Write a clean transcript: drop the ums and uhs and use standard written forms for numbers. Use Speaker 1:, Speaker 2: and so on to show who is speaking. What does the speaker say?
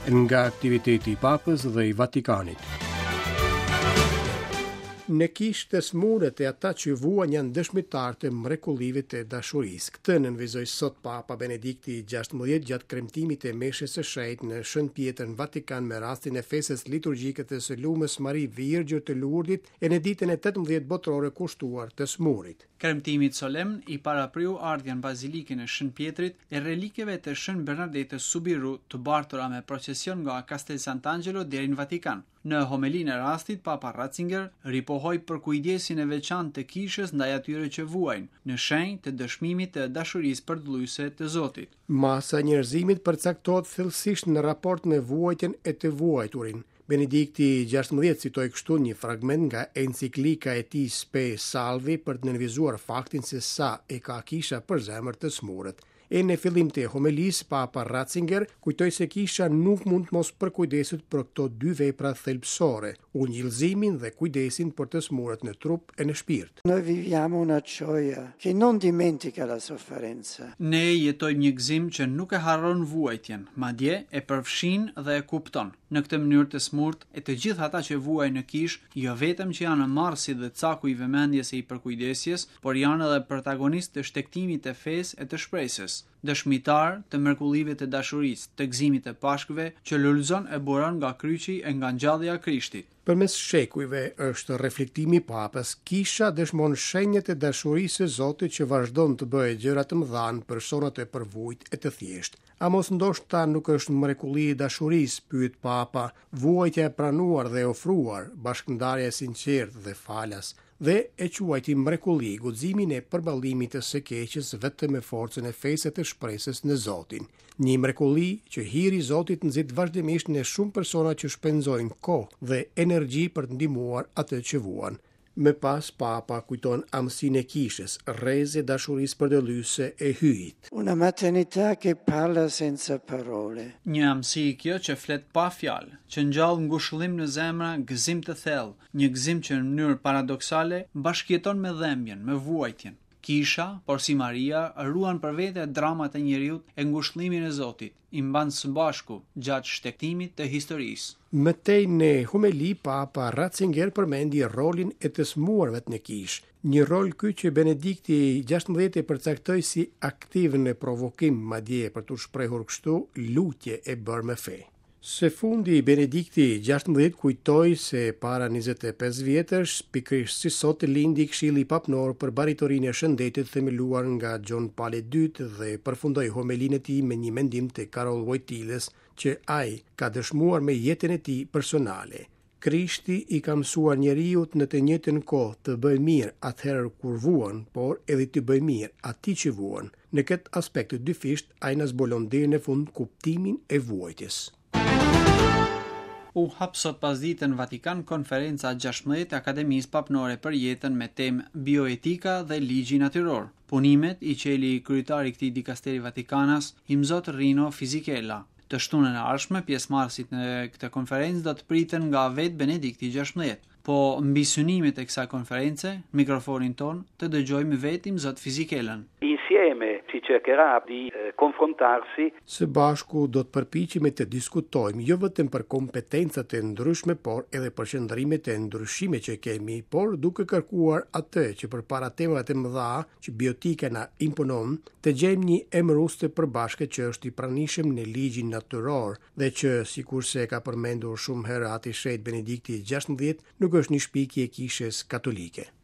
Speaker 1: Nga aktiviteti i Papës dhe i Vatikanit. Në kishë të sëmurët e ata që vuajnë janë dëshmitarë të mrekullive të dashurisë. Këtë nënvizoi sot Papa Benedikti i 16 gjatë kremtimit të meshës së shenjtë në Shën Pjetër në Vatikan me rastin e festës liturgjike të së Lumës Mari Virgjër të Lurdit e në ditën e 18 botërore kushtuar të sëmurit.
Speaker 2: Kremtimit solemn i parapriu ardhja në Bazilikën e Shën Pjetrit e relikeve të Shën Bernardetës Subiru të bartura me procesion nga Castel Sant'Angelo deri në Vatikan. Në homelinë e rastit, Papa Ratzinger ripohoi përkujdesjen e veçantë të Kishës ndaj atyre që vuajnë, në shenjë të dëshmimit të dashurisë përdëllyese të Zotit.
Speaker 1: Masa e njerëzimit përcaktohet thellësisht në raport me vuajtjen e të vuajturin. Benedikti i 16 citoi kështu një fragment nga enciklika e tij Spe Salvi për të nënvizuar faktin se sa e ka kisha për zemër të sëmurët. E në fillim të homelisë, Papa Ratzinger kujtoi se kisha nuk mund të mos përkujdeset për këto dy vepra thelbësore, ungjillëzimin dhe kujdesin për të sëmurët në trup e në shpirt.
Speaker 3: Noi viviamo una gioia che non dimentica la sofferenza.
Speaker 2: Ne jetojmë një gëzim që nuk e harron vuajtjen, madje e përfshin dhe e kupton. Në këtë mënyrë të sëmurët e të gjithë ata që vuajnë në kishë, jo vetëm që janë marrësit dhe caku i vëmendjes e i përkujdesjes, por janë edhe protagonistë të shtegtimit të fesë e të shpresës, dëshmitarë të mrekullive të dashurisë, të gëzimit të Pashkëve, që lulëzon e buron nga kryqi e nga ngjallja e Krishtit.
Speaker 1: Përmes shekujve, është reflektimi i Papës, Kisha dëshmon shenjat e dashurisë së Zotit që vazhdon të bëjë gjëra të mëdha në personat e përvujtë e të thjeshtë. A mos ndoshta nuk është mrekulli e dashurisë, pyet Papa, vuajtja e pranuar dhe e ofruar, bashkëndarja e sinqertë dhe falas, dhe e quajti mrekulli guximin e përballimit të së keqes vetëm me forcën e fesë e të shpresës në Zotin. Një mrekulli që hiri i Zotit nxit vazhdimisht në shumë persona që shpenzojnë kohë dhe energji për të ndihmuar atë që vuan. Më pas Papa kujton amësinë e Kishës, rreze e dashurisë përdëllyese e Hyjit.
Speaker 3: Una maternità che parla senza parole.
Speaker 2: Një amësi kjo që flet pa fjalë, që ngjall ngushëllim në zemra, gëzim të thellë, një gëzim që në mënyrë paradoksale bashkëjeton me dhembjen, me vuajtjen. Kisha, porsi Maria, ruan për vete dramat e njeriut e ngushëllimin e Zotit, i mban së bashku gjatë shtegtimit të historisë.
Speaker 1: Më tej në homeli Papa Ratzinger përmendi rolin e të sëmurëve në kishë, një rol ky që Benedikti i 16 e përcaktoi si aktiv në provokim, madje për t'u shprehur kështu, lutje e bërë me fe. Së fundi, Benedikti i 16 kujtoi se para 25 vjetësh, pikërisht si sot lindi Këshilli Papnor për Barritorinë e Shëndetit themeluar nga Gjon Pali II dhe përfundoi homelinë e tij me një mendim të Karol Wojtylës që ai ka dëshmuar me jetën e tij personale. Krishti i ka mësuar njeriut në të njëjtën kohë të bëjë mirë atëherë kur vuan, por edhe t'i bëjë mirë atij që vuan. Në këtë aspekt të dyfishtë, ai na zbulon deri në fund kuptimin e vuajtjes.
Speaker 2: U hap sot pasdite në Vatikan Konferenca 16 e Akademisë Papnore për Jetën me temë Bioetika dhe Ligji Natyror. Punimet i çeli kryetari i këtij dikasteri vatikanas, Imzot Rino Fisichella. Të shtunën e ardhshme, pjesëmarrësit në këtë konferencë do të priten nga vetë Benedikti i 16. Po mbi synimet e kësaj konference, në mikrofonin tonë, të dëgjojmë vetë Imzot Fisichellën.
Speaker 4: Insieme si cercherà di confrontarsi.
Speaker 1: Së bashku do të përpiqemi të diskutojmë jo vetëm për kompetencat e ndryshme, por edhe për qëndrimet e ndryshme që kemi, por duke kërkuar atë që përpara temave të mëdha që bioetika na imponon, të gjejmë një emërues të përbashkët që është i pranishëm në ligjin natyror dhe që, sikurse e ka përmendur shumë herë Ati i Shenjtë Benedikti i 16, nuk është një shpikje e Kishës Katolike.